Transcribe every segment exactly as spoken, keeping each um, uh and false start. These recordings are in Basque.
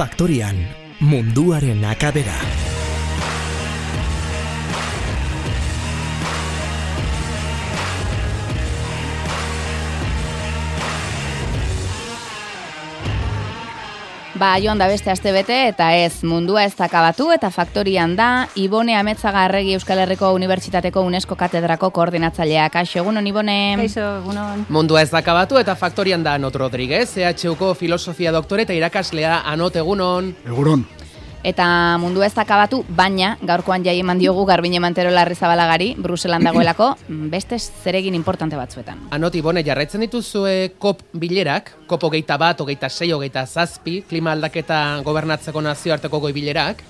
Faktorian, munduaren akabera. Ba, joan da beste aste bete eta ez mundua ez akabatu eta Faktorian da Ibone Ametzaga Arregi Euskal Herriko Unibertsitateko UNESCO katedrako koordinatzaileak. Kaixo, egunon Ibone. Kaixo, egunon. Mundua ez akabatu eta Faktorian da Anot Rodriguez, E H Uko filosofia doktore eta irakaslea. Anot, egunon. Egunon. Eta mundua ez akabatu, baina gaurkoan jai eman diogu Garbine Mantero Larrizabalagari, Bruselan dagoelako, beste zeregin importante batzuetan. Anot, Ibone, jarraitzen dituzue kop bilerak, kop hogeita bat, hogeita sei, hogeita zazpi, klima aldaketa gobernatzeko nazioarteko goi bilerak?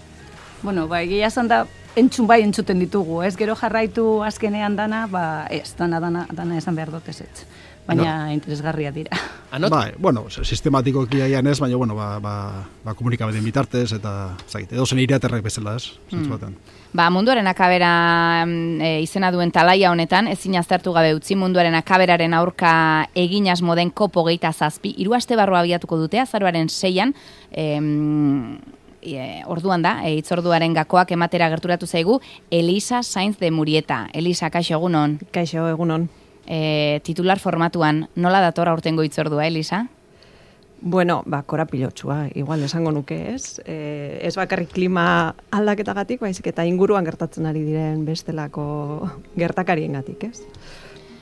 Bueno, ba, egia esan da, entzun bai entzuten ditugu, ez gero jarraitu azkenean dana, ba, ez, dana, dana, dana esan behar dut ez ez. Baina no. Interesgarria dira. Anot? Ba, bueno, sistematikoki aian ez, baina, bueno, ba, ba, ba komunikabideen bitartez, eta, zait, edo zen iraterrek bezala ez, zentzu batean. Hmm. Ba, munduaren akabera e, izena duen talaia honetan, ezin aztertu gabe utzi munduaren akaberaren aurka egin asmo den kop hogeita zazpi, hiru aste barrua abiatuko dute, azaroaren seian, em, E, orduan da, e, hitzorduaren gakoak ematera gerturatu zaigu Elisa Sainz de Murieta. Elisa, kaixo egunon. Kaixo egunon. E, titular formatuan, nola dator aurtengo hitzordua, Elisa? Bueno, ba, korapilotsua, igual esango nuke ez. E, ez bakarrik klima aldaketagatik, baizik eta inguruan gertatzen ari diren bestelako gertakariengatik, ez?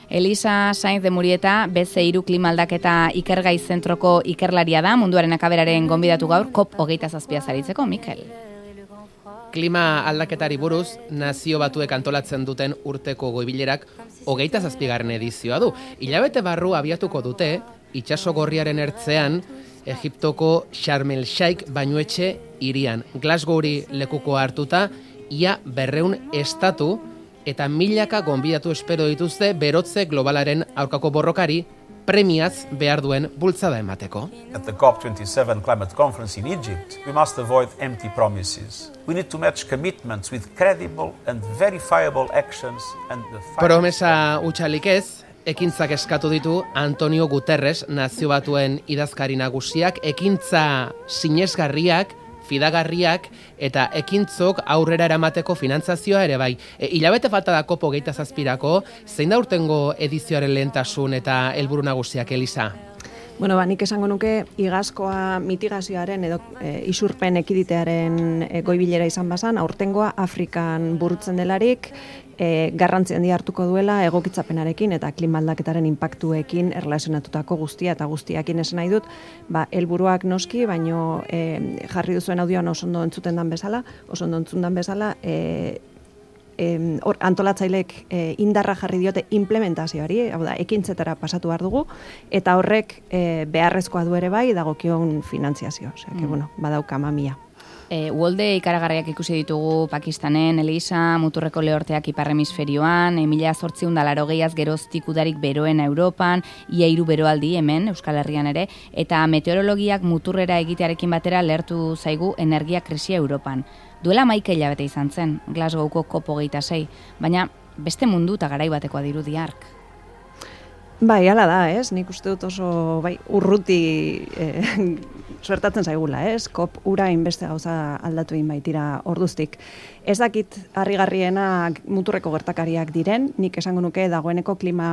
Elisa Sainz de Murieta, B C hiru klima aldaketa ikergai zentroko ikerlaria da, munduaren akaberaren gonbidatu gaur, kop hogeita zazpia zaritzeko, Mikel. Klima aldaketari buruz, nazio batuek antolatzen duten urteko goibilerak hogeita zazpigarren edizioa du. Hilabete barru abiatuko dute, itsaso gorriaren ertzean, Egiptoko Sharm el Sheikh bainuetxe hirian. Glasgowri lekuko hartuta, ia berreun estatu, eta milaka gonbidatu espero dituzte berotze globalaren aurkako borrokari premiaz behar duen bultzada emateko. At the COP twenty-seven climate conference in Egypt, we must avoid empty promises. We need to match commitments with credible and verifiable actions and the Promesa utxalik ez, ekintzak eskatu ditu Antonio Guterres, nazio batuen idazkari nagusiak, ekintza sinesgarriak, fidagarriak eta ekintzok aurrera eramateko finantzazioa ere bai. E, hilabete falta da kopo hogeita zazpirako, zein da urtengo edizioaren lehentasun eta helburu nagusiak, Elisa? Bueno, ba, nik esango nuke igazkoa mitigazioaren edo e, isurpen ekiditearen e, goibilera izan bazan, aurtengoa Afrikan burutzen delarik, e, garrantzi handia hartuko duela egokitzapenarekin eta klima aldaketaren inpaktuekin erlazionatutako guztia eta guztiakin esan nahi dut, ba, helburuak noski, baino e, jarri duzuen audioan oso ondo entzuten dan bezala, oso ondo entzun dan bezala, e, Or, antolatzaileek e, indarra jarri diote implementazioari, hau da, ekintzetara pasatu behar dugu, eta horrek e, beharrezkoa du ere bai, dagokion finantziazio. Osea, que, bueno, badauka mamia. E, uholde ikaragarriak ikusi ditugu Pakistanen, Elisa, muturreko lehorteak ipar hemisferioan, mila zortziehun eta laurogeiaz geroztik udarik beroen Europan, ia hiru beroaldi hemen, Euskal Herrian ere, eta meteorologiak muturrera egitearekin batera lehertu zaigu energia krisia Europan. Duela hamaika hilabete izan zen, Glasgowko kop hogeita sei, baina beste mundu eta garai batekoa dirudi hark. Bai, hala da, ez? Nik uste dut oso bai, urruti eh, suertatzen zaigula, ez? Kop ura inbeste gauza aldatu egin baitira orduztik. Ez dakit harrigarriena muturreko gertakariak diren, nik esango nuke dagoeneko klima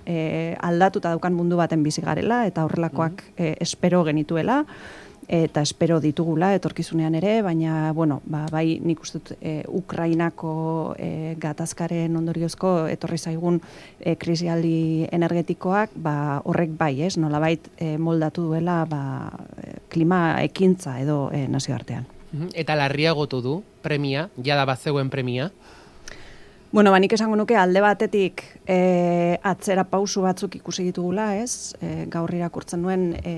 eh, aldatuta daukan mundu baten bizi garela, eta horrelakoak eh, espero genituela, eta espero ditugula etorkizunean ere, baina, bueno, ba, bai nik uste dut e, Ukrainako e, gatazkaren ondoriozko etorri zaigun e, krisialdi energetikoak, ba, horrek bai, ez, nolabait e, moldatu duela ba, e, klima ekintza edo e, nazioartean. Eta larriagotu du premia, jada bazegoen premia? Bueno, ba, nik esango nuke alde batetik e, atzera pausu batzuk ikusi ditugula, ez? E, gaur irakurtzen nuen e,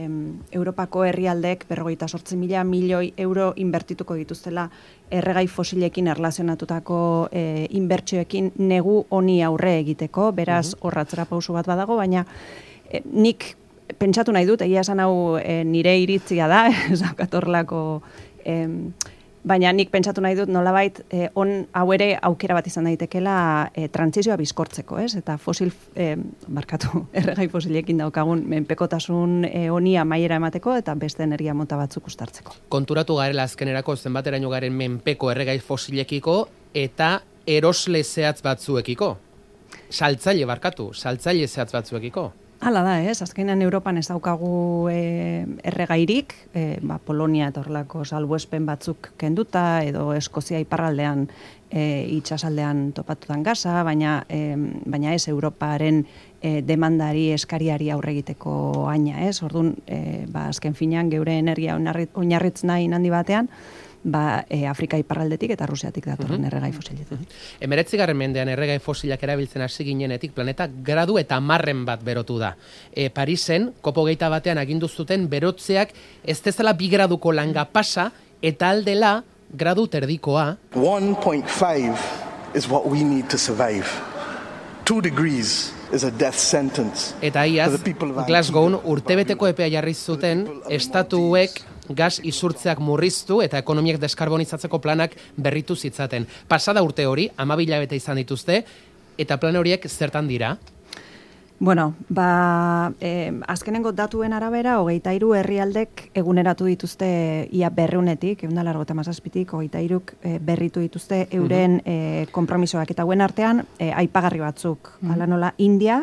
Europako herrialdeek berrogeita zortzi mila milioi euro inbertituko dituztela erregai fosilekin erlazionatutako e, inbertsioekin negu honi aurre egiteko, beraz hor atzera pausu bat badago, baina e, nik pentsatu nahi dut, egia esan hau e, nire iritzia da, ez daukatorlako... E, Baina nik pentsatu nahi dut nolabait eh, on hau ere aukera bat izan daitekela eh, trantsizioa bizkortzeko, ez? Eta fosil, eh, markatu, erregai fosilekin daukagun menpekotasun eh, honi amaiera emateko eta beste energia mota batzuk uztartzeko. Konturatu garela azkenerako zenbateraino garen menpeko erregai fosilekiko eta erosle zehatz batzuekiko. Saltzaile barkatu, saltzaile zehatz batzuekiko. Hala da, ez? Azkenean Europan ez daukagu e, erregairik, e, ba, Polonia eta horrelako salbuespen batzuk kenduta, edo Eskozia iparraldean e, itsasaldean topatutan gaza, baina, e, baina ez Europaren e, demandari eskariari aurre egiteko aina, ez? Orduan, e, ba, azken finean geure energia oinarritz nahi handi batean, ba, e, Afrika iparraldetik eta Rusiatik datorren uh-huh. erregai fosiletik. Emeretzigarren mendean erregai fosilak erabiltzen hasi ginenetik planeta gradu eta marren bat berotu da. E, Parisen, kopo geita batean agindu zuten berotzeak ez dezala bi graduko langa pasa eta aldela gradu terdikoa. one point five is what we need to survive. Two degrees is a death sentence. Eta iaz, Glasgown urtebeteko epea jarri zuten estatuek gas isurtzeak murriztu eta ekonomiak deskarbonizatzeko planak berritu zitzaten. Pasada urte hori, amabila bete izan dituzte, eta plan horiek zertan dira? Bueno, ba, eh, azkenengo datuen arabera, hogeita hiru herrialdek eguneratu dituzte ia berreunetik, egun da largo eta mazazpitik, hogeita hiruk eh, berritu dituzte euren eh, kompromisoak. Eta guen artean, eh, aipagarri batzuk, mm. ala nola, India,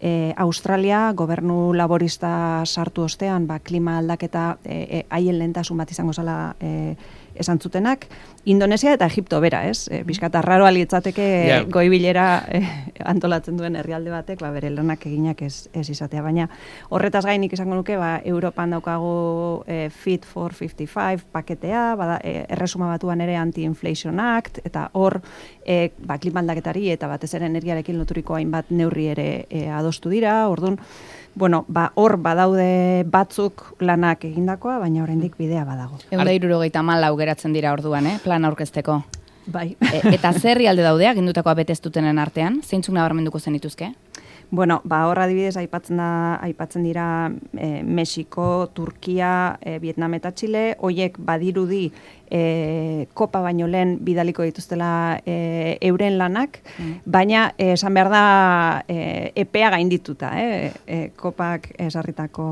E, Australia, gobernu laborista sartu ostean, ba, klima aldaketa haien e, e, lehentasun bat izango zala e, esan zutenak, Indonesia eta Egipto bera, ez? E, Bizkata raro alitzateke yeah. goibilera e, antolatzen duen herrialde batek, ba, bere lanak eginak ez, ez izatea. Baina horretaz gainik izango nuke, ba, Europan daukagu e, Fit for fifty-five paketea, bada, e, erresuma batuan ere Anti-Inflation Act, eta hor e, ba, klima aldaketari eta batez ere energiarekin loturiko hainbat neurri ere e, adostu dira, orduan, bueno, ba, hor badaude batzuk lanak egindakoa, baina oraindik bidea badago. Ehun eta hirurogeita hamalau geratzen dira orduan, eh? Plan aurkezteko. Bai. E, eta zer herrialde daude agindutakoa beteztutenen artean? Zeintzuk nabarmenduko zenituzke? Bueno, ba, hor adibidez aipatzen da, aipatzen dira e, Mexiko, Turkia, e, Vietnam eta Txile, hoiek badirudi e, kopa baino lehen bidaliko dituztela e, euren lanak, mm. baina e, esan behar da e, epea gaindituta, eh? e, kopak esarritako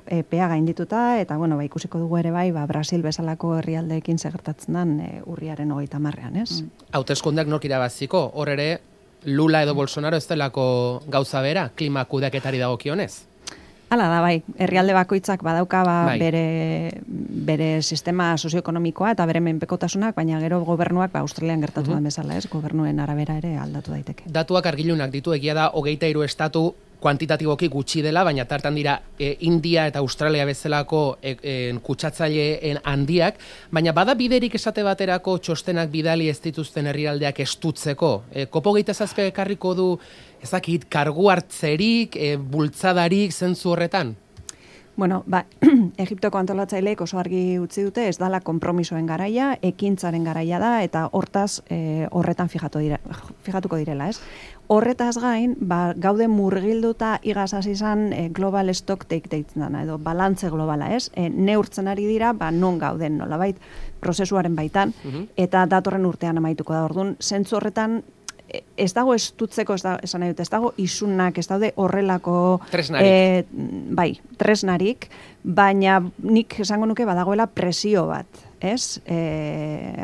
epea gaindituta, eta bueno, ba, ikusiko dugu ere bai, ba, Brasil bezalako herrialdeekin segertatzen den e, urriaren hogeita hamarrean, ez? Mm. Hauteskundeak nork irabaziko, hor ere, Lula edo Bolsonaro ez delako gauza bera, klima kudeaketari dagokionez? Hala da, bai. Herrialde bakoitzak badauka ba, bai. bere, bere sistema sozioekonomikoa eta bere menpekotasunak, baina gero gobernuak ba, Australian gertatu uh-huh. den bezala, ez? Gobernuen arabera ere aldatu daiteke. Datuak argilunak ditu, egia da hogeita hiru estatu kuantitatiboki gutxi dela, baina tartan dira e, India eta Australia bezalako e, e, kutsatzaileen handiak, baina bada biderik esate baterako txostenak bidali ez dituzten herrialdeak estutzeko. E, kopo geita zazpe ekarriko du, ezakit, kargu hartzerik, e, bultzadarik zentzu horretan? Bueno, ba, Egiptoko antolatzaileek oso argi utzi dute, ez dala konpromisoen garaia, ekintzaren garaia da, eta hortaz e, horretan fijatu dira, fijatuko direla, ez? Horretaz gain, ba, gaude murgilduta igazaz izan e, global stock take deitzen dana, edo balantze globala, ez? E, neurtzen ari dira, ba, non gauden nolabait prozesuaren baitan, uh-huh. eta datorren urtean amaituko da. Orduan, zentzu horretan, ez dago estutzeko, ez, da, esan nahi dut, ez dago isunak, ez daude horrelako tresnarik. E, bai, tresnarik, baina nik esango nuke badagoela presio bat, ez? E,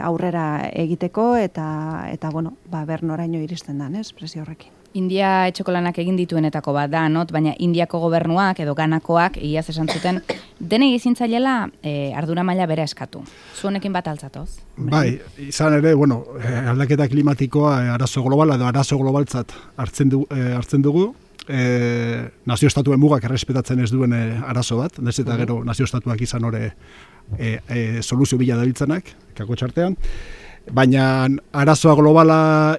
aurrera egiteko eta, eta bueno, ba, ber noraino iristen dan, ez? Presio horrekin. India etxeko lanak egin dituenetako bat da, not, baina Indiako gobernuak edo ganakoak iaz esan zuten denei ezintzailela e, ardura maila bera eskatu. Zuenekin bat altzatoz? Bai, izan ere, bueno, aldaketa klimatikoa arazo globala edo arazo globaltzat hartzen, du, e, hartzen dugu, e, nazio estatuen mugak errespetatzen ez duen e, arazo bat, nez eta gero nazio estatuak izan hori e, e, soluzio bila dabiltzanak, kako txartean. Baina arazoa globala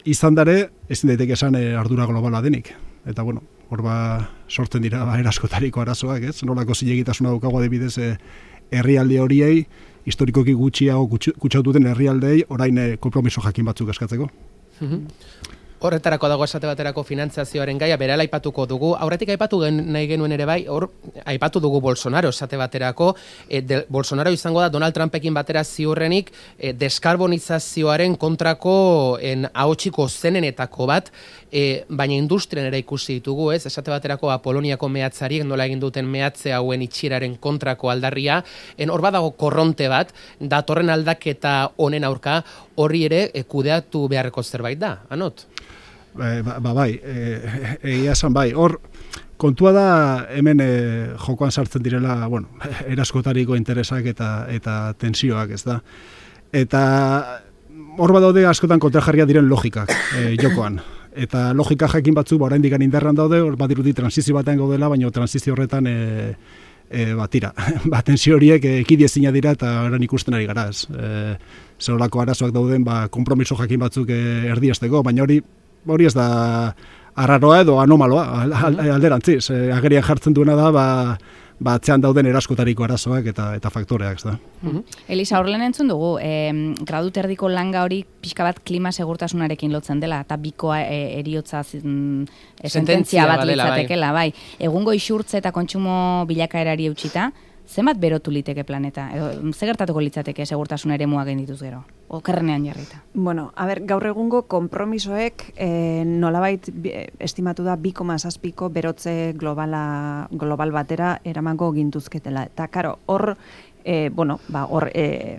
izan dare, ezin daiteke esan e, ardura globala denik. Eta bueno, hor ba sortzen dira ba, eraskotariko arazoak, ez? Nolako zilegitasuna daukago adibidez e, herrialde horiei, historikoki gutxiago kutsatu den herrialdei orain e, konpromiso jakin batzuk eskatzeko. Horretarako dago esate baterako finantzazioaren gaia, berela aipatuko dugu. Aurretik aipatu gen, nahi genuen ere bai, hor aipatu dugu Bolsonaro esate baterako. E, de, Bolsonaro izango da Donald Trumpekin batera ziurrenik e, deskarbonizazioaren kontrako en, ahotsiko zenenetako bat, e, baina industrian ere ikusi ditugu, ez? Esate baterako Poloniako mehatzariek nola egin duten mehatze hauen itxieraren kontrako aldarria. En, hor badago korronte bat, datorren aldaketa honen aurka, horri ere e, kudeatu beharreko zerbait da, Anot? Ba, ba bai, egia esan bai, hor kontua da hemen e, jokoan sartzen direla, bueno, eraskotariko interesak eta eta tensioak, ez da. Eta hor badaude askotan kontrajarria diren logikak e, jokoan. Eta logika jakin batzuk ba oraindik indarran daude, hor badirudi transizio batean gaudela, baina transizio horretan e, e, ba tira, ba tensio horiek ekidiezina dira eta orain ikusten ari gara, ez. E, Zerolako arazoak dauden, ba konpromiso jakin batzuk e, erdiesteko, baina hori hori ez da arraroa edo anomaloa, alderantziz. E, agerian jartzen duena da, ba, ba atzean dauden eraskotariko arazoak eta eta faktoreak, ez da. Mm-hmm. Elisa, horren entzun dugu, eh, gradu terdiko langa hori pixka bat klima segurtasunarekin lotzen dela, eta bikoa e, eriotza mm, sententzia bat litzatekela, bai. Egungo isurtze eta kontsumo bilakaerari eutxita, zenbat berotu liteke planeta? Edo, ze gertatuko litzateke segurtasun ere muak dituz gero? Okerrenean jarrita. Bueno, a ber, gaur egungo konpromisoek eh, nolabait estimatu da bi koma zazpiko berotze globala, global batera eramango gintuzketela. Eta, karo, hor, eh, bueno, ba, hor, eh,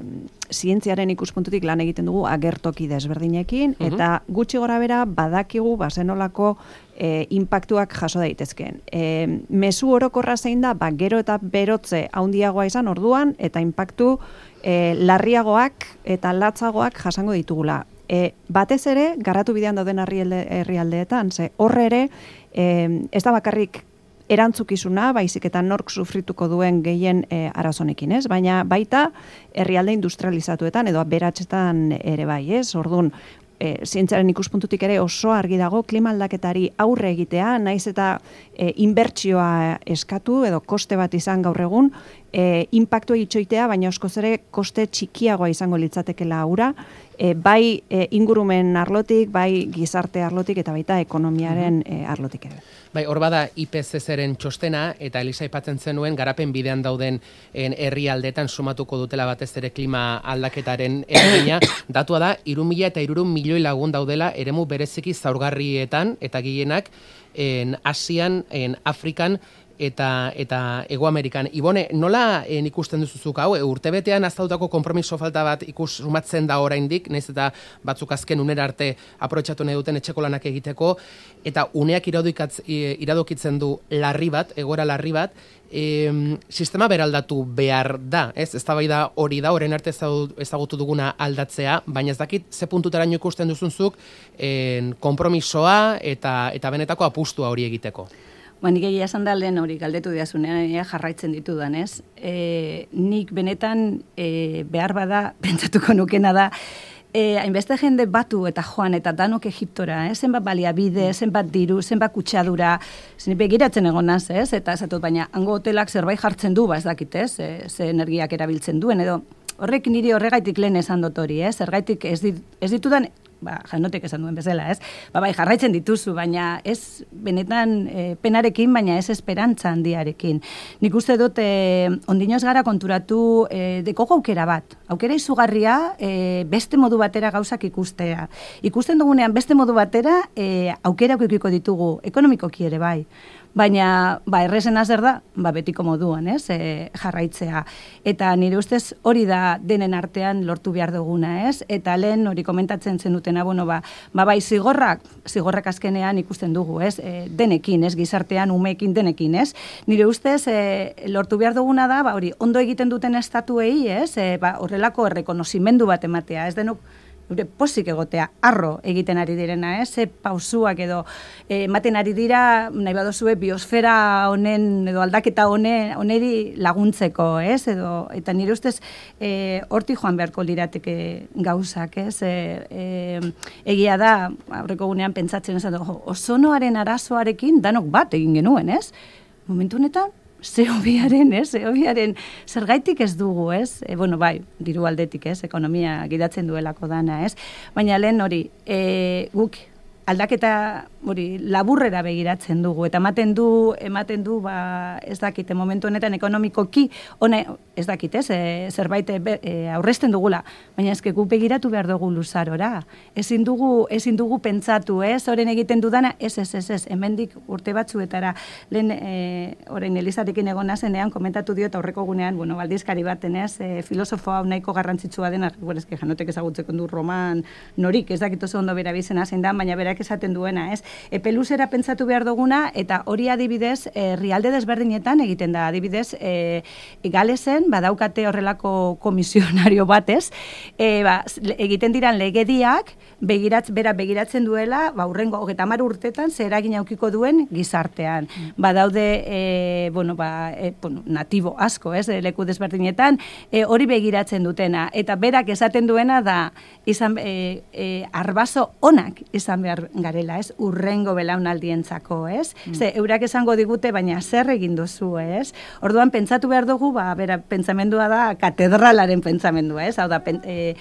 zientziaren ikuspuntutik lan egiten dugu agertoki desberdinekin, uh-huh. eta gutxi gora bera badakigu bazenolako e, impactuak jaso daitezkeen. E, mezu orokorra zein da, ba, gero eta berotze handiagoa izan orduan, eta impactu e, larriagoak eta latzagoak jasango ditugula. E, batez ere, garatu bidean dauden herrialdeetan, ze horre ere, e, ez da bakarrik erantzukizuna, baizik eta nork sufrituko duen gehien e, arazonekin, ez? Baina baita herrialde industrializatuetan edo beratxetan ere bai, ez? Orduan, e, zientziaren ikuspuntutik ere oso argi dago klima aldaketari aurre egitea, naiz eta e, inbertsioa eskatu edo koste bat izan gaur egun, e, impactua itxoitea, baina askoz ere koste txikiagoa izango litzatekela aura, e, bai e, ingurumen arlotik, bai gizarte arlotik eta baita ekonomiaren e, arlotik ere. Bai, hor bada I P C C-ren txostena, eta Elisa aipatzen zenuen, garapen bidean dauden herrialdeetan sumatuko dutela batez ere klima aldaketaren eragina. Datua da, hiru mila eta hirurehun milioi lagun daudela eremu bereziki zaurgarrietan, eta gehienak en Asian, en Afrikan, eta eta Hego Amerikan. Ibone, nola en, ikusten duzuzuk hau? E, urtebetean aztautako konpromiso falta bat ikus sumatzen da oraindik, naiz eta batzuk azken unera arte aprobetxatu nahi duten etxeko lanak egiteko, eta uneak iradokitzen du larri bat, egoera larri bat, e, sistema beraldatu behar da, ez? Eztabaida hori da, orain arte ezagutu duguna aldatzea, baina ez dakit ze puntutaraino ikusten duzunzuk en, konpromisoa eta, eta benetako apustua hori egiteko. Ba, nik egia esan da lehen hori galdetu diazunean jarraitzen ditudan, ez? E, nik benetan e, behar bada, pentsatuko nukena da, e, hainbeste jende batu eta joan eta danok Egiptora, eh? Zenbat baliabide, zenbat diru, zenbat kutsadura, zen begiratzen egon naz, ez? Eta esatut, baina hango hotelak zerbait jartzen du, ba ez dakit, ez? E, ze energiak erabiltzen duen, edo horrek niri horregaitik lehen esan dut hori, ez? Zergaitik ez, dit, ez ditudan, ba, janotek esan duen bezala, ez? Ba, bai, jarraitzen dituzu, baina ez benetan e, penarekin, baina ez esperantza handiarekin. Nik uste dut, e, ondinoz gara konturatu e, dekogu aukera bat. Aukera izugarria e, beste modu batera gauzak ikustea. Ikusten dugunean beste modu batera e, aukera ukiko ditugu, ekonomikoki ere bai. Baina, ba, errezena zer da, ba, betiko moduan, ez, e, jarraitzea. Eta nire ustez hori da denen artean lortu behar duguna, ez? Eta lehen hori komentatzen zenutena, bueno, ba, ba, bai, zigorrak, zigorrak azkenean ikusten dugu, ez? E, denekin, ez, gizartean, umeekin denekin, ez? Nire ustez e, lortu behar duguna da, ba, hori, ondo egiten duten estatuei, ez? E, ba, horrelako errekonozimendu bat ematea, ez denok, gure posik egotea, arro egiten ari direna, ez? Ze pausuak edo ematen ari dira, nahi badozue, biosfera honen, edo aldaketa honen, oneri laguntzeko, ez? Edo, eta nire ustez, e, horti joan beharko lirateke gauzak, ez? E, e, egia da, aurreko gunean pentsatzen ez, ozonoaren arazoarekin danok bat egin genuen, ez? Momentu honetan, zehobiaren, ez? Zehobiaren zergaitik ez dugu, ez? E, bueno, bai, diru aldetik, ez? Ekonomia gidatzen duelako dana, ez? Baina lehen hori, e, guk aldaketa hori laburrera begiratzen dugu eta ematen du ematen du ba ez dakite momentu honetan ekonomikoki ona ez dakit ez e, zerbait e, aurrezten dugula, baina eske guk begiratu behar dugu luzarora. Ezin dugu ezin dugu pentsatu, ez? Oren egiten dudana, ez ez ez ez, hemendik urte batzuetara lehen e, orain Elizarekin egon nazenean komentatu dio eta aurreko gunean, bueno, baldizkari baten, ez? E, filosofo hau nahiko garrantzitsua dena, bueno, eske janotek ezagutzeko du roman norik, ez dakit oso ondo bera bizena zein da, baina berak esaten duena, ez? Epe luzera pentsatu behar duguna eta hori adibidez herrialde desberdinetan egiten da. Adibidez, e, Galesen badaukate horrelako komisionario batez, e, ba, egiten diran legediak begiratz, bera begiratzen duela, ba, urrengo hogeita hamar urtetan zer eragin aukiko duen gizartean. Badaude, e, bueno, ba, e, bueno, natibo asko, ez, leku desberdinetan, e, hori begiratzen dutena. Eta berak esaten duena da, izan, e, e, arbaso onak izan behar garela, ez, urrengo belaunaldientzako, ez? Mm. Ze, eurak esango digute, baina zer egin duzu, ez? Orduan, pentsatu behar dugu, ba, bera, pentsamendua da katedralaren pentsamendua, ez? Hau da, pen, e,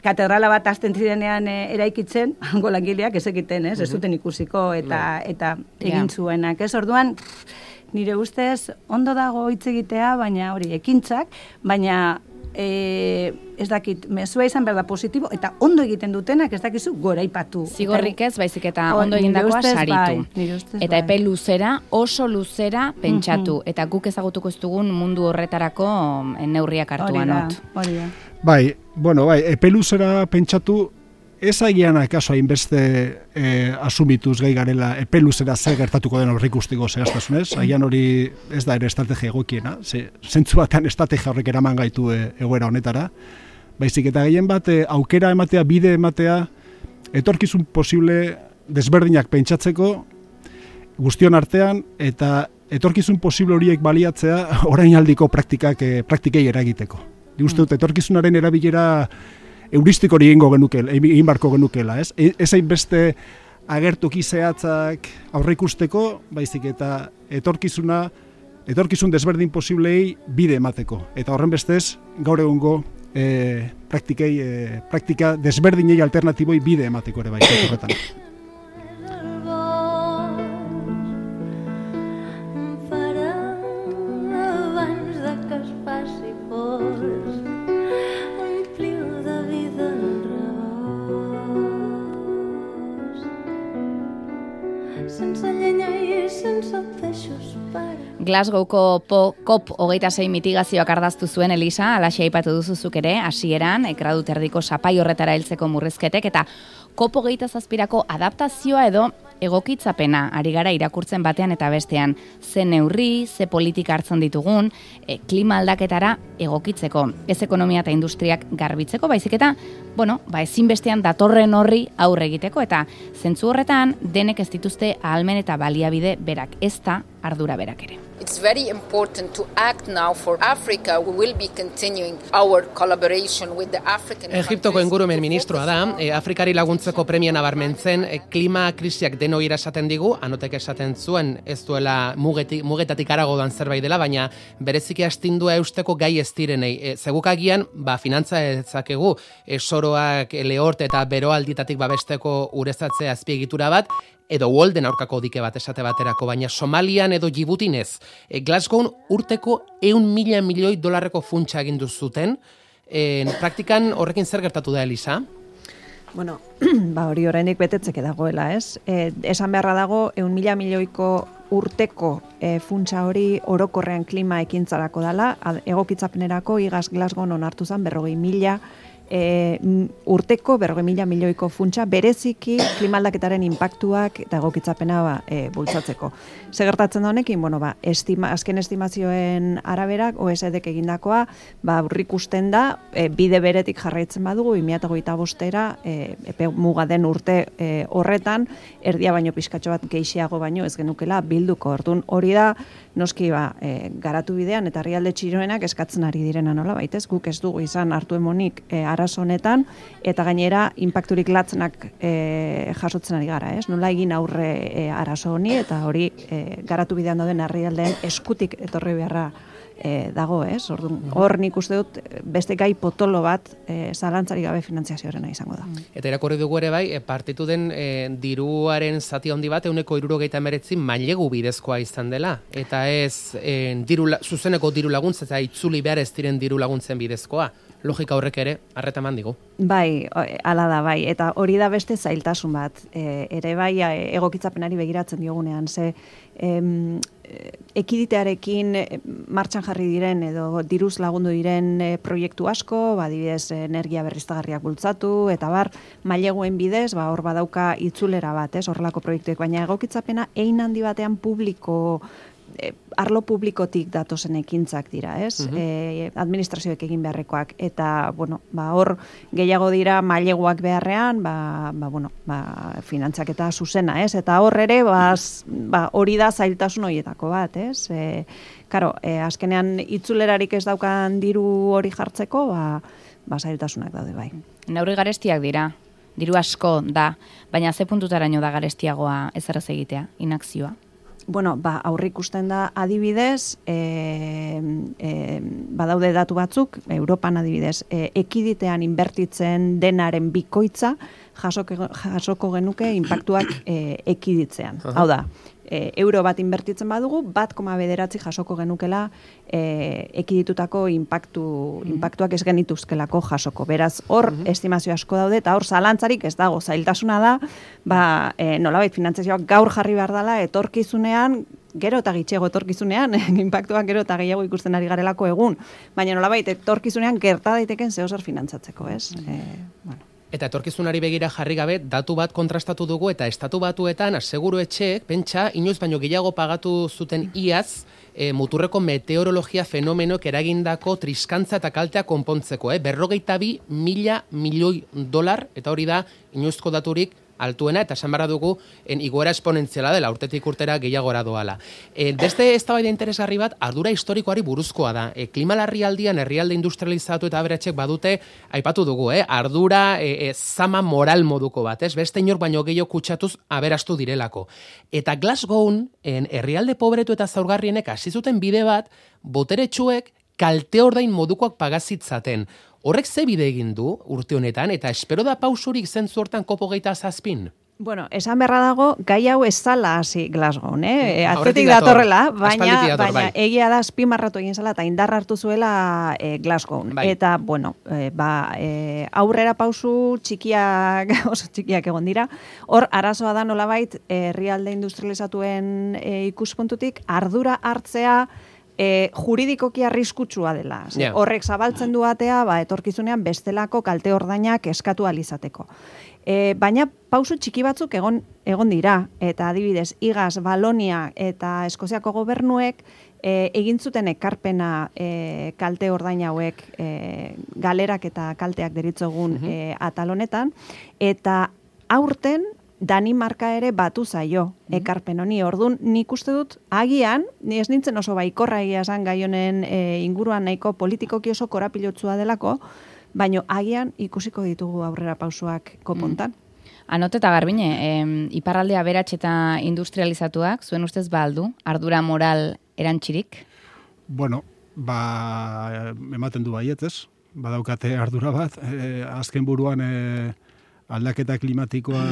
katedrala bat azten zirenean e, eraikitzen, hango langileak ez egiten, ez? Ez zuten ikusiko eta eta egin zuenak, ez? Orduan, nire ustez, ondo dago hitz egitea, baina hori, ekintzak, baina e, ez dakit, mezua izan behar da positibo, eta ondo egiten dutenak ez dakizu goraipatu. Zigorrik ez, baizik eta ondo egindakoa saritu. Bai, eta epe luzera, oso luzera pentsatu, eta guk ezagutuko ez dugun mundu horretarako neurriak hartuan not. Hori da. Bai, bueno, bai, epe luzera pentsatu, ez agian akaso hainbeste e, asumituz gai garela epe luzera zer gertatuko den horrik ustiko zehaztasunez, agian hori ez da ere estrategia egokiena, ze, zentzu batean estrategia horrek eraman gaitu e, egoera honetara, baizik eta gehien bat e, aukera ematea, bide ematea, etorkizun posible desberdinak pentsatzeko guztion artean, eta etorkizun posible horiek baliatzea orainaldiko praktikak e, praktikei eragiteko. Uste dut, etorkizunaren erabilera euristik hori egingo genukel, egin barko genukela, ez? Ez hainbeste agertoki zehatzak aurreikusteko, baizik eta etorkizuna, etorkizun desberdin posiblei bide emateko. Eta horren bestez, gaur egungo e, praktikei, e, praktika desberdinei alternatiboi bide emateko ere bai, horretan. Glasgowko COP hogeita sei mitigazioak ardaztu zuen Elisa, alaxe aipatu duzuzuk ere, hasieran, gradu terdiko sapai horretara heltzeko murrizketek, eta COP hogeita zazpirako adaptazioa edo egokitzapena ari gara irakurtzen batean eta bestean. Ze neurri, ze politika hartzen ditugun, e, klima aldaketara egokitzeko, ez ekonomia eta industriak garbitzeko, baizik eta, bueno, ba ezinbestean datorren horri aurre egiteko, eta zentzu horretan denek ez dituzte ahalmen eta baliabide berak, ez da ardura berak ere. It's very important to act now for Africa. We will be continuing our collaboration with the African Egiptoko ingurumen ministroa da, e, Afrikari laguntzeko premia nabarmentzen, e, klima krisiak denoi esaten digu, anotek esaten zuen ez duela mugetik, mugetatik arago dan zerbait dela, baina bereziki astindua eusteko gai ez direnei. E, Zegukagian, ba, finantza ezakegu, e, soroak, e, lehort eta beroalditatik babesteko urezatze azpiegitura bat, edo Walden aurkako dike bat esate baterako, baina Somalian edo Djiboutin ez. E, Glasgown urteko ehun mila milioi dolarreko funtsa egin zuten. E, praktikan horrekin zer gertatu da, Elisa? Bueno, ba hori oraindik betetzeke dagoela, ez? E, esan beharra dago, ehun mila milioiko urteko e, funtsa hori orokorrean klima ekintzarako dela, egokitzapenerako igaz Glasgown onartu zen berrogei mila E, urteko berrogei mila milioiko funtsa bereziki klimaldaketaren inpaktuak eta egokitzapena ba, e, bultzatzeko. Ze gertatzen da honekin, bueno, ba, estima, azken estimazioen araberak O E C Dek egindakoa ba, aurrikusten da e, bide beretik jarraitzen badugu bi mila hogeita bostera e, epe muga den urte e, horretan erdia baino pizkatxo bat gehiago baino ez genukela bilduko. Orduan hori da noski ba, e, garatu bidean eta herrialde txiroenak eskatzen ari direna nola baitez, guk ez dugu izan hartu emonik e, arazo honetan, eta gainera inpakturik latzenak e, jasotzen ari gara, ez? Nola egin aurre e, arazo honi, eta hori e, garatu bidean dauden herrialdeen eskutik etorri beharra e, dago, ez? Orduan, hor nik uste dut beste gai potolo bat e, zalantzarik gabe finantziazioarena izango da. Eta irakurri dugu ere bai, e, partitu den e, diruaren zati handi bat ehuneko hirurogeita hemeretzi mailegu bidezkoa izan dela. Eta ez e, diru, zuzeneko diru laguntza eta itzuli behar ez diren diru laguntzen bidezkoa. Logika horrek ere, arreta eman digu. Bai, hala da, bai. Eta hori da beste zailtasun bat. E, ere bai, egokitzapenari begiratzen diogunean, ze em, ekiditearekin martxan jarri diren edo diruz lagundu diren e, proiektu asko, ba, adibidez, energia berriztagarriak bultzatu, eta bar, maileguen bidez, ba, hor badauka itzulera bat, ez, horrelako proiektuek, baina egokitzapena ein handi batean publiko, e, arlo publikotik datozen ekintzak dira, ez? Uh-huh. E, administrazioek egin beharrekoak, eta, bueno, ba, hor gehiago dira maileguak beharrean, ba, ba, bueno, ba, finantzaketa zuzena, ez? Eta hor ere, ba, ba, hori da zailtasun horietako bat, ez? E, karo, e, azkenean itzulerarik ez daukan diru hori jartzeko, ba, ba, zailtasunak daude bai. Neurri garestiak dira, diru asko da, baina ze puntutaraino da garestiagoa ezerrez egitea, inakzioa? Bueno, ba, aurrik ikusten da adibidez, e, e, badaude datu batzuk, Europan adibidez, e, ekiditean inbertitzen denaren bikoitza jasoko, jasoko genuke inpaktuak e, ekiditzean. Hau da, e, euro bat inbertitzen badugu, bat koma bederatzi jasoko genukela e, ekiditutako inpaktu, inpaktuak ez genituzkelako jasoko. Beraz, hor estimazio asko daude, eta hor zalantzarik ez dago, zailtasuna da, ba, e, nolabait finantzazioak gaur jarri behar dela, etorkizunean, gero eta gitxego etorkizunean, inpaktuak gero eta gehiago ikusten ari garelako egun, baina nolabait etorkizunean gerta daiteken zehozer finantzatzeko, ez? E, bueno. Eta etorkizunari begira jarri gabe, datu bat kontrastatu dugu eta estatu batuetan aseguru etxeek, pentsa, inoiz baino gehiago pagatu zuten iaz, e, muturreko meteorologia fenomenoek eragindako triskantza eta kaltea konpontzeko, eh? berrogeita bi mila milioi dolar, eta hori da inoizko daturik altuena, eta esan barra dugu en igoera esponentziala dela, urtetik urtera gehiagora doala. E, beste eztabaida interesgarri bat, ardura historikoari buruzkoa da. E, klima larrialdian herrialde industrializatu eta aberatxek badute, aipatu dugu, eh? ardura e, e, zama moral moduko bat, ez? Beste inor baino gehiago kutsatuz aberastu direlako. Eta Glasgown, en herrialde pobretu eta zaurgarrienek hasi zuten bide bat, boteretsuek kalte ordain modukoak pagazitzaten. Horrek ze bide egin du urte honetan, eta espero da pausurik zentzu hortan kopo geita zazpin? Bueno, esan berra dago, gai hau ez zala hasi Glasgow, eh? Atzetik datorrela, baina, dator, baina bai. Egia da azpimarratu egin zela eta indar hartu zuela e, Glasgow. Bai. Eta, bueno, e, ba, e, aurrera pausu txikiak, oso txikiak egon dira. Hor, arazoa da nolabait, herrialde industrializatuen e, ikuspuntutik, ardura hartzea, E, juridikoki arriskutsua dela. Yeah. Horrek zabaltzen du atea, ba, etorkizunean bestelako kalte ordainak eskatu alizateko. E, baina pausu txiki batzuk egon, egon dira, eta adibidez, Igaz, Balonia eta Eskoziako gobernuek e, egin zuten ekarpena e, kalte ordain hauek e, galerak eta kalteak deritzogun mm-hmm. e, atal honetan, eta aurten Danimarka ere batu zaio ekarpen honi. Ordun nik uste dut agian, ni ez nintzen oso baikorra egia esan gai honen e, inguruan nahiko politikoki oso korapilotsua delako, baino agian ikusiko ditugu aurrera pausoak kopontan. Mm. Anote eta Garbine, eh, iparraldea aberats eta industrializatuak, zuen ustez ba aldu, ardura moral erantxirik? Bueno, ba, ematen du baiet, ez? Badaukate ardura bat, e, azken buruan e, aldaketa klimatikoa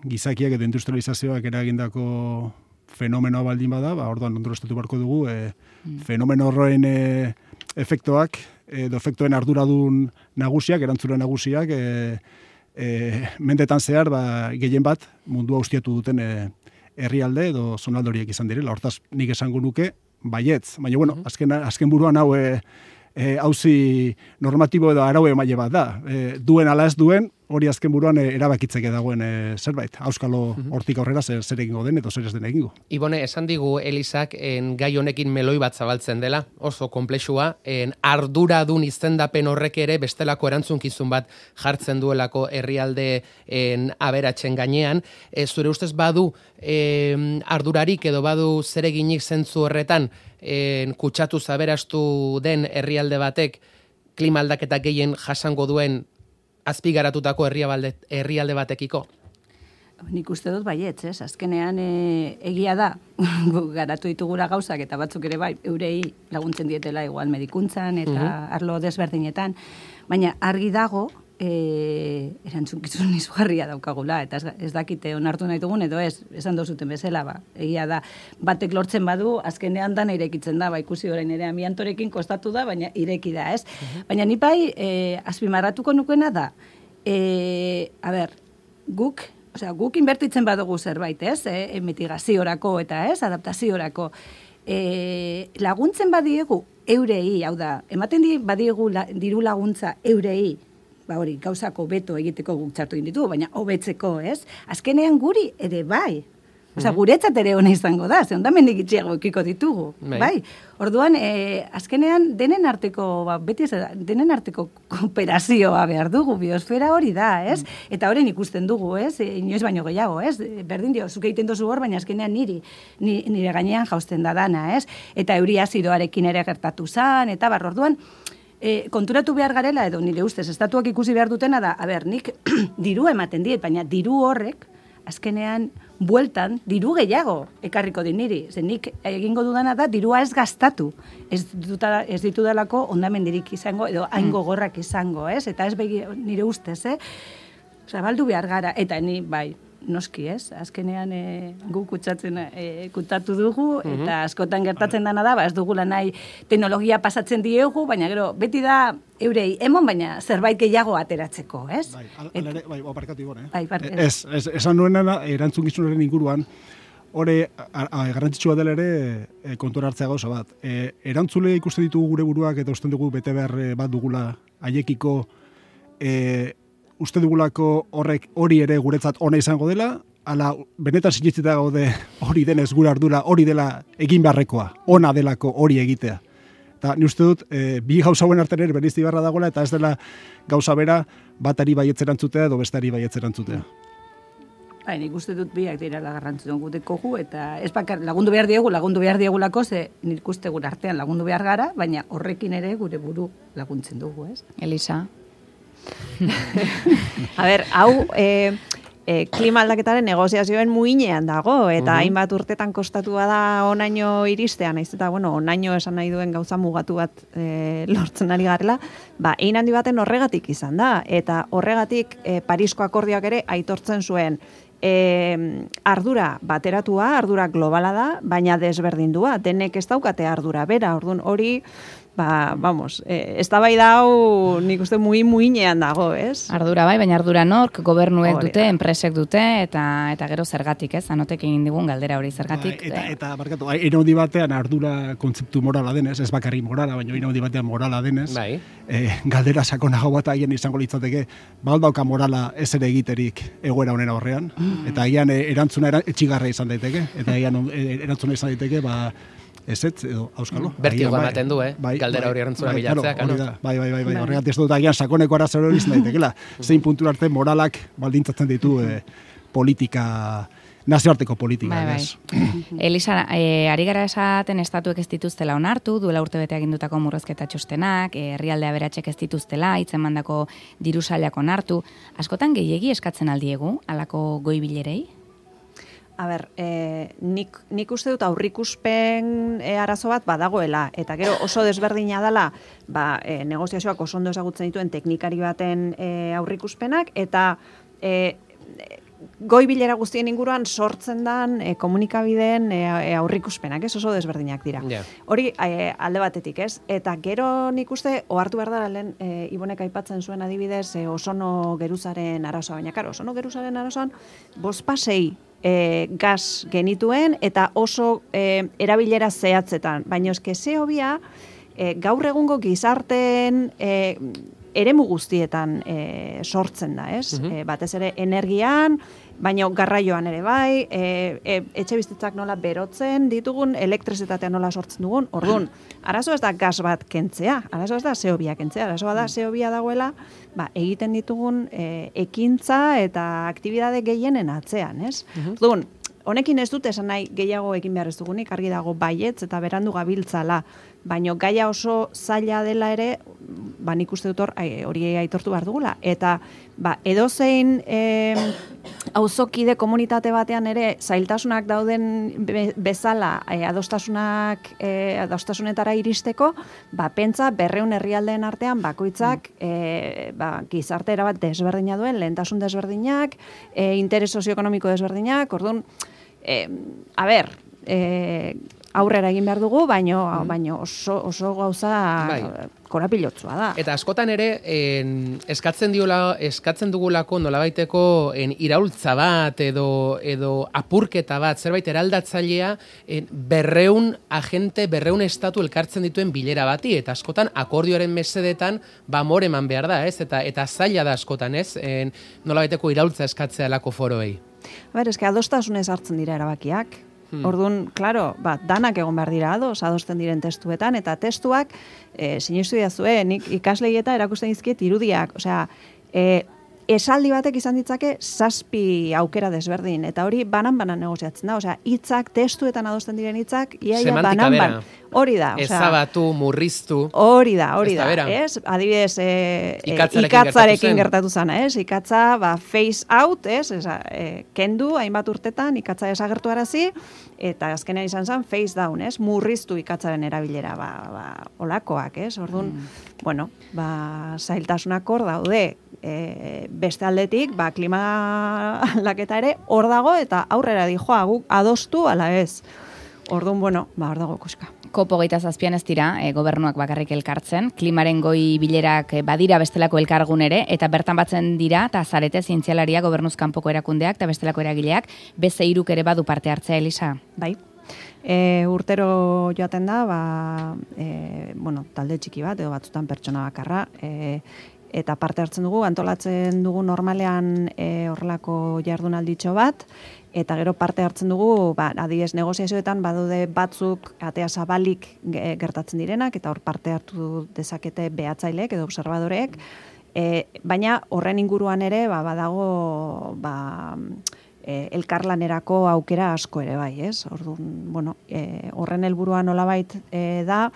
gizakiak edo industrializazioak eragindako fenomenoa baldin bada, ba, orduan ondoroztatu barko dugu, e, fenomeno horren e, efektoak, edo efektoen arduradun nagusiak, erantzule nagusiak, e, e, mendetan zehar, ba, gehien bat, mundua ustiatu duten e, herrialde edo zonaldoriek izan direla. Hortaz, nik esango nuke, baietz. Baina, bueno, azken, azken buruan hau e, e, hauzi normatibo edo araue emaile bat da. E, duen ala ez duen, hori azken buruan erabakitzeke dagoen e, zerbait. Auskalo hortik aurrera zer, zer egingo den eta zer ez den egingo. Ibone, esan digu Elisak en gai honekin meloi bat zabaltzen dela, oso konplexua, en arduradun izendapen horrek ere bestelako erantzunkizun bat jartzen duelako herrialde en aberatzen gainean. E, zure ustez badu e, ardurarik edo badu zereginik zentzu horretan en, kutsatu zaberastu den herrialde batek klima aldaketa gehien jasango duen azpigaratutako herrialde, herrialde batekiko? Nik uste dut baietz, ez? Azkenean e, egia da, garatu ditugura gauzak eta batzuk ere bai, eurei laguntzen dietela igual medikuntzan eta uh-huh. arlo desberdinetan, baina argi dago, e, erantzunkizun izugarria daukagula, eta ez, ez dakite onartu nahi dugun, edo ez, esan dozuten bezala, ba, egia da, batek lortzen badu, azkenean dana irekitzen da, ba, ikusi orain ere amiantorekin kostatu da, baina ireki da, ez? Uh-huh. Baina ni bai, e, azpimarratuko nukeena da, e, a ber, guk, osea, guk inbertitzen badugu zerbait, ez? E, mitigaziorako eta, ez? Adaptaziorako. E, laguntzen badiegu eurei, hau da, ematen di badiegu la, diru laguntza eurei, ba hori, gauzako beto egiteko guk txartu inditu, baina hobetzeko, ez? Azkenean guri ere bai. Osea, guretzat ere hona izango da, ze ondamendik itxiago ekiko ditugu, bai. bai? Orduan, e, azkenean denen arteko, ba, beti ez da, denen arteko kooperazioa behar dugu, biosfera hori da, ez? Mm. Eta horren ikusten dugu, ez? E, inoiz baino gehiago, ez? Berdin dio, zuke egiten dozu hor, baina azkenean niri, nire gainean jausten da dana, ez? Eta euri azidoarekin ere gertatu zan, eta bar, orduan, e, konturatu behar garela, edo nire ustez, estatuak ikusi behar dutena da, a ber, nik diru ematen diet, baina diru horrek, azkenean, bueltan, diru gehiago ekarriko din niri. Zer nik egingo dudana da, dirua ez gastatu. Ez, duta, ez ditudalako ondamendirik izango, edo hain gogorrak izango, ez? Eta ez begi, nire ustez, eh? Osa, baldu behar gara, eta ni, bai, noski, ez? Azkenean e, gu kutsatzen, e, kutsatu dugu, mm-hmm. eta askotan gertatzen dana da, ba, ez dugula nahi teknologia pasatzen diegu, baina gero, beti da, eurei, emon baina zerbait gehiago ateratzeko, ez? Bai, alere, bai, aparkatu ibon, eh? Bai, parkatu. Ez, ez, esan nuena, erantzukizunaren inguruan, hori, garrantzitsua dela ere, e, kontura hartzea gauza bat. E, erantzule ikusten ditugu gure buruak, eta usten dugu bete behar bat dugula haiekiko, e, uste dugulako horrek hori ere guretzat ona izango dela, ala benetan sinitzita gaude hori denez gure ardura, hori dela egin beharrekoa, ona delako hori egitea. Eta ni uste dut, e, bi gauza hauen artean ere bereizti beharra dagoela, eta ez dela gauza bera batari baietzeran edo bestari baietzeran zutea. Bai, nik uste dut biak dira garrantzituen guteko gu, eta ez bakar lagundu behar diegu, lagundu behar diegulako, ze nik uste gure artean lagundu behar gara, baina horrekin ere gure buru laguntzen dugu, ez? Elisa? A ber, hau e, e, klima aldaketaren negoziazioen muinean dago, eta uh-huh. hainbat urtetan kostatua da onaino iristea, naiz eta, bueno, onaino esan nahi duen gauza mugatu bat e, lortzen ari garela, ba, ein handi baten horregatik izan da, eta horregatik e, Parisko akordioak ere aitortzen zuen, e, ardura bateratua, ardura globala da, baina desberdindua, denek ez daukate ardura bera, orduan hori, ba, vamos, eh, ez da bai dau nik uste muy muinean dago, ez? Ardura bai, baina ardura nork, gobernuek dute, enpresek dute, eta eta gero zergatik, ez? Anotek egin digun galdera hori zergatik. Ba, eta, eta, barkatu, iraudi batean ardura kontzeptu morala denez, ez bakarri morala, baina iraudi batean morala denez, bai. eh, galdera sakonago bat aien izango litzateke, baldauka morala ez ere egiterik egoera honen aurrean, mm. eta agian eh, erantzuna era, etxigarra izan daiteke, eta agian eh, erantzuna izan daiteke, ba, ez ez, edo, auskalo. Bertigo ematen du, eh? Bai, galdera hori erantzuna bai, bilatzea, kano? Bai, bai, bai, bai, horregat ez dut agian sakoneko arazo hori izan daitekela. Zein puntu arte moralak baldintzatzen ditu eh, politika, nazioarteko politika. Bai, bai. Elisa, eh, ari gara esaten estatuek ez dituztela onartu, duela urte bete agindutako murrezketa txostenak, herrialde aberatxek ez dituztela, hitzen mandako diru sailak onartu. Askotan gehiegi eskatzen aldiegu, alako goi bilerei? A ber, e, nik, nik uste dut aurrikuspen e, arazo bat badagoela, eta gero oso desberdina dela ba, e, negoziazioak oso ondo ezagutzen dituen teknikari baten e, aurrikuspenak, eta e, goi bilera guztien inguruan sortzen dan e, komunikabideen e, e, aurrikuspenak, ez oso desberdinak dira. Yeah. Hori e, alde batetik, ez? Eta gero nik uste, ohartu behar dara lehen, e, Ibonek aipatzen zuen adibidez, e, Osono Geruzaren arazoa, baina karo, Osono Geruzaren arazoan, bospasei E, gas genituen eta oso e, erabilera zehatzetan. Baina eske ze hobia e, gaur egungo gizarteen e, eremu guztietan e, sortzen da, ez? Mm-hmm. E, batez ere energian, baina garraioan ere bai, e, e, etxe bizitzak nola berotzen ditugun, elektrizitatea nola sortzen dugun, orduan, arazo ez da gas bat kentzea, arazo ez da ze hobia kentzea, arazoa da ze hobia dagoela, ba, egiten ditugun e, ekintza eta aktibidade gehienen atzean, ez? Mm-hmm. Orduan, honekin ez dute esan nahi gehiago egin behar ez dugunik, argi dago baietz eta berandu gabiltzala, baino gaia oso zaila dela ere, ba nik uste dut hor hori aitortu behar dugula. Eta ba, edozein eh, auzokide komunitate batean ere zailtasunak dauden be, bezala eh, adostasunak eh, adostasunetara iristeko, ba pentsa berreun herrialdeen artean bakoitzak eh, ba, gizarte erabat desberdina duen, lehentasun desberdinak, eh, interes sozioekonomiko desberdinak, orduan, eh, a ber, eh, aurrera egin behar dugu, baino, mm. baino oso, oso gauza bai. Korapilotsua da. Eta askotan ere, en, eskatzen, diola, eskatzen dugulako nolabaiteko en, iraultza bat edo, edo apurketa bat, zerbait eraldatzailea en, berreun agente, berreun estatu elkartzen dituen bilera bati, eta askotan akordioaren mesedetan ba more eman behar da, ez? Eta, eta zaila da askotan, ez? En, nolabaiteko iraultza eskatzea lako foroei. A ber, eske adostasunez hartzen dira erabakiak. Hmm. Orduan, claro, ba, danak egon behar dira ados, adosten diren testuetan, eta testuak, e, sinistu didazue, nik ikasleieta erakusten dizkiet irudiak, osea, e, esaldi batek izan ditzake zazpi aukera desberdin, eta hori banan-banan negoziatzen da, osea, hitzak, testuetan adosten diren hitzak, iaia banan-banan. Hori da, osea. Ezabatu, murriztu. Hori da, hori da, ez? Adibidez, e, ikatzarekin, ikatzarekin gertatu zana, ez? Ikatza, ba, face out, ez? Eza, e, kendu, hainbat urtetan, ikatza desagertu arazi, eta azkenean izan zen face down, ez? Murriztu ikatzaren erabilera, ba, ba, olakoak, ez? Orduan, mm. bueno, ba, zailtasunak hor daude, e, beste aldetik, ba, klima aldaketa ere hor dago, eta aurrera dijoa, guk adostu ala ez. Orduan, bueno, ba, hor dago kuska. Kopo geita zazpian ez dira, e, gobernuak bakarrik elkartzen, klimaren goi bilerak e, badira bestelako elkargun ere, eta bertan batzen dira, eta zarete zientzialaria gobernuz kanpoko erakundeak, eta bestelako eragileak, beste hiruk ere badu parte hartzea, Elisa? Bai. E, urtero joaten da, ba, e, bueno, talde txiki bat, edo batzutan pertsona bakarra, e, eta parte hartzen dugu, antolatzen dugu normalean e, horrelako jardunalditxo bat, eta gero parte hartzen dugu, ba, adibidez negoziazioetan badude batzuk atea zabalik gertatzen direnak, eta hor parte hartu dezakete behatzailek edo observadoreek, e, baina horren inguruan ere ba, badago ba, e, elkarlanerako aukera asko ere bai, ez? Orduan, bueno, e, horren helburua nolabait e, da,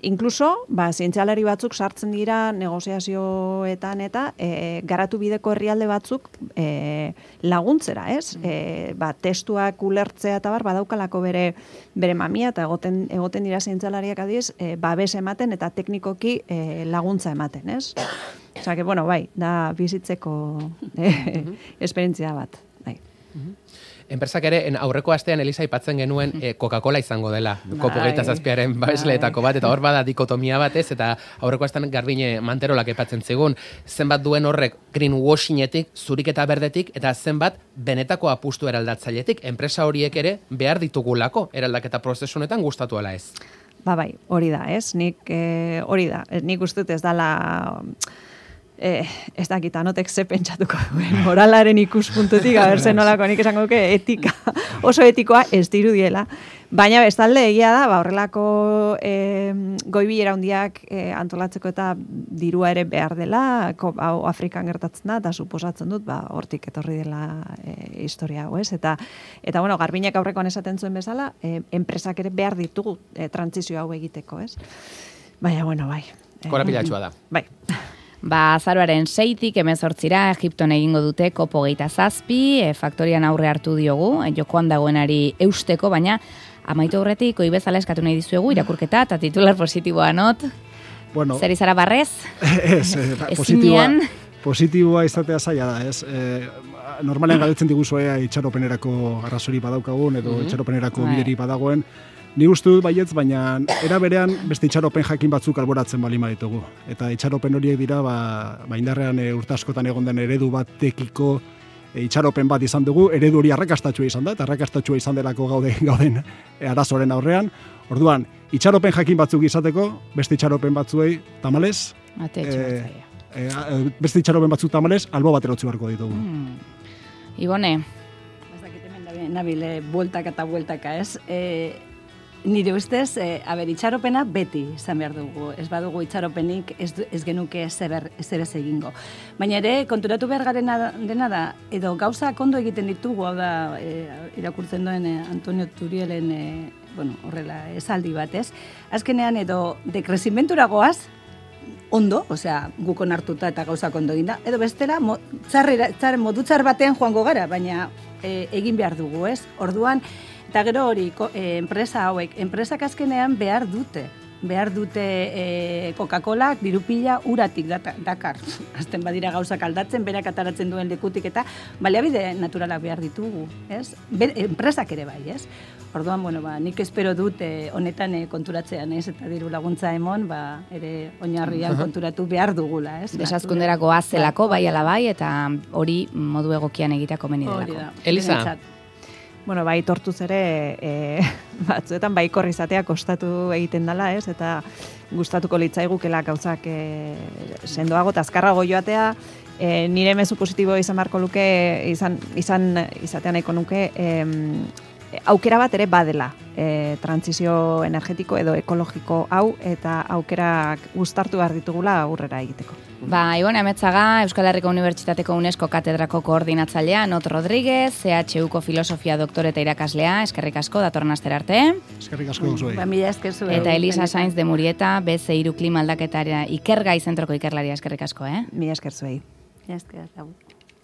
inkluso, ba, zientzialari batzuk sartzen dira negoziazioetan eta e, garatu bideko herrialde batzuk e, laguntzera, ez? E, ba, testuak ulertzea eta bar, badaukalako bere, bere mamia eta egoten, egoten dira zientzialariak adiz, e, babes ematen eta teknikoki e, laguntza ematen, ez? Osa, que, bueno, bai, da bizitzeko e, esperientzia bat, bai. Enpresak ere, en aurreko astean Elisa aipatzen genuen eh, Coca-Cola izango dela. Kopo geita zazpiaren babesleetako bat, eta hor bada dikotomia batez, eta aurreko astean Garbine Manterolak aipatzen zigun, zenbat duen horrek greenwashingetik, zurik eta berdetik, eta zenbat benetako apustu eraldatzailetik, enpresa horiek ere behar ditugulako eraldaketa prozesunetan gustatu ala ez. Ba bai, hori da, ez? Nik eh, hori da, nik uste dut ez dala... Eh, ez dakit, anotek ze pentsatuko duen, moralaren ikuspuntutik, abertzen nolako, nik esango duke etika, oso etikoa ez dirudiela. Baina bestalde egia da, ba, horrelako eh, goibilera handiak eh, antolatzeko eta dirua ere behar dela, hau Afrikan gertatzen da, eta suposatzen dut, ba, hortik etorri dela eh, historia hau, ez? Eta, eta bueno, Garbinek aurrekoan esaten zuen bezala, eh, enpresak ere behar ditugu eh, trantzizio hau egiteko, ez? Baina, bueno, bai. Eh, Korapilatsua da. Bai. Ba, azaroaren seitik hemezortzira Egipton egingo dute kopo geita zazpi, e, faktorian aurre hartu diogu, e, jokoan dagoenari eusteko, baina amaitu aurretik, oi bezala eskatu nahi dizuegu, irakurketa eta titular positiboa not. Bueno, zer izara barrez? Ez, eh, positiboa, positiboa izatea zaila da, ez? Eh, normalean galdetzen diguzue itxaropenerako arrazori badaukagun, edo mm-hmm. itxaropenerako bideri badagoen, ni uste dut baietz, baina era berean beste itxaropen jakin batzuk alboratzen balima ditugu. Eta itxaropen horiek dira, ba, ba indarrean e, urte askotan egon den eredu batekiko e, itxaropen bat izan dugu, eredu hori arrakastatxua izan da, eta arrakastatxua izan delako gaude, gauden e, arazoren aurrean. Orduan, itxaropen jakin batzuk izateko, beste itxaropen batzuei tamalez, e, e, beste itxaropen batzuk tamalez, albo bat erotzi beharko ditugu. Hmm. Ibone? Ez dakit hemen da nabile, bueltaka eta bueltaka, ez? E, nire ustez, e, aber, itxaropena beti izan behar dugu. Ez badugu itxaropenik ez, ez genuke ezer ez egingo. Baina ere, konturatu behar garena dena da, edo gauza kondo egiten ditugu, hau da, e, irakurtzen duen e, Antonio Turielen, e, bueno, horrela, esaldi bat, ez? Azkenean, edo, dekrezimentura goaz, ondo, osea, gukon hartuta eta gauzak ondo eginda, edo bestela, mo, txarrera, txar, modu txar batean joango gara, baina e, egin behar dugu, ez? Orduan, eta gero hori, ko, e, enpresa hauek, enpresak azkenean behar dute, behar dute e, Coca-Colak dirupila uratik data, dakar. Azten badira gauzak aldatzen, berak ataratzen duen lekutik eta baliabide naturalak behar ditugu, ez? Be, enpresak ere bai, ez? Orduan, bueno, ba, nik espero dut e, honetan e, konturatzean, ez? Eta diru laguntza emon, ba, ere oinarrian konturatu behar dugula, ez? Desazkunderako azelako, bai ala bai, eta hori modu egokian egitako meni delako. Elisa? Bueno, bai, tortuz ere, e, batzuetan bai izatea kostatu egiten dela, ez? Eta gustatuko litzaigukela gauzak e, sendoago eta azkarrago joatea, e, nire mezu positibo izan beharko luke, izan, izan izatea nahiko nuke, e, aukera bat ere badela, e, transizio energetiko edo ekologiko hau, eta aukerak gustartu behar ditugula aurrera egiteko. Ba, Ibon Ametzaga, Euskal Herriko Unibertsitateko UNESCO katedrako koordinatzailea, Not Rodríguez, C H Uko filosofia doktore eta irakaslea, eskerrik asko, datorren astera arte. Eskerrik asko zuei. Ba, mila esker zuei. Eta Elisa Sainz de Murieta, B C hiru klima aldaketara ikergai zentroko ikerlaria, eskerrik asko, eh? Mila esker zuei. Mila esker, lagu.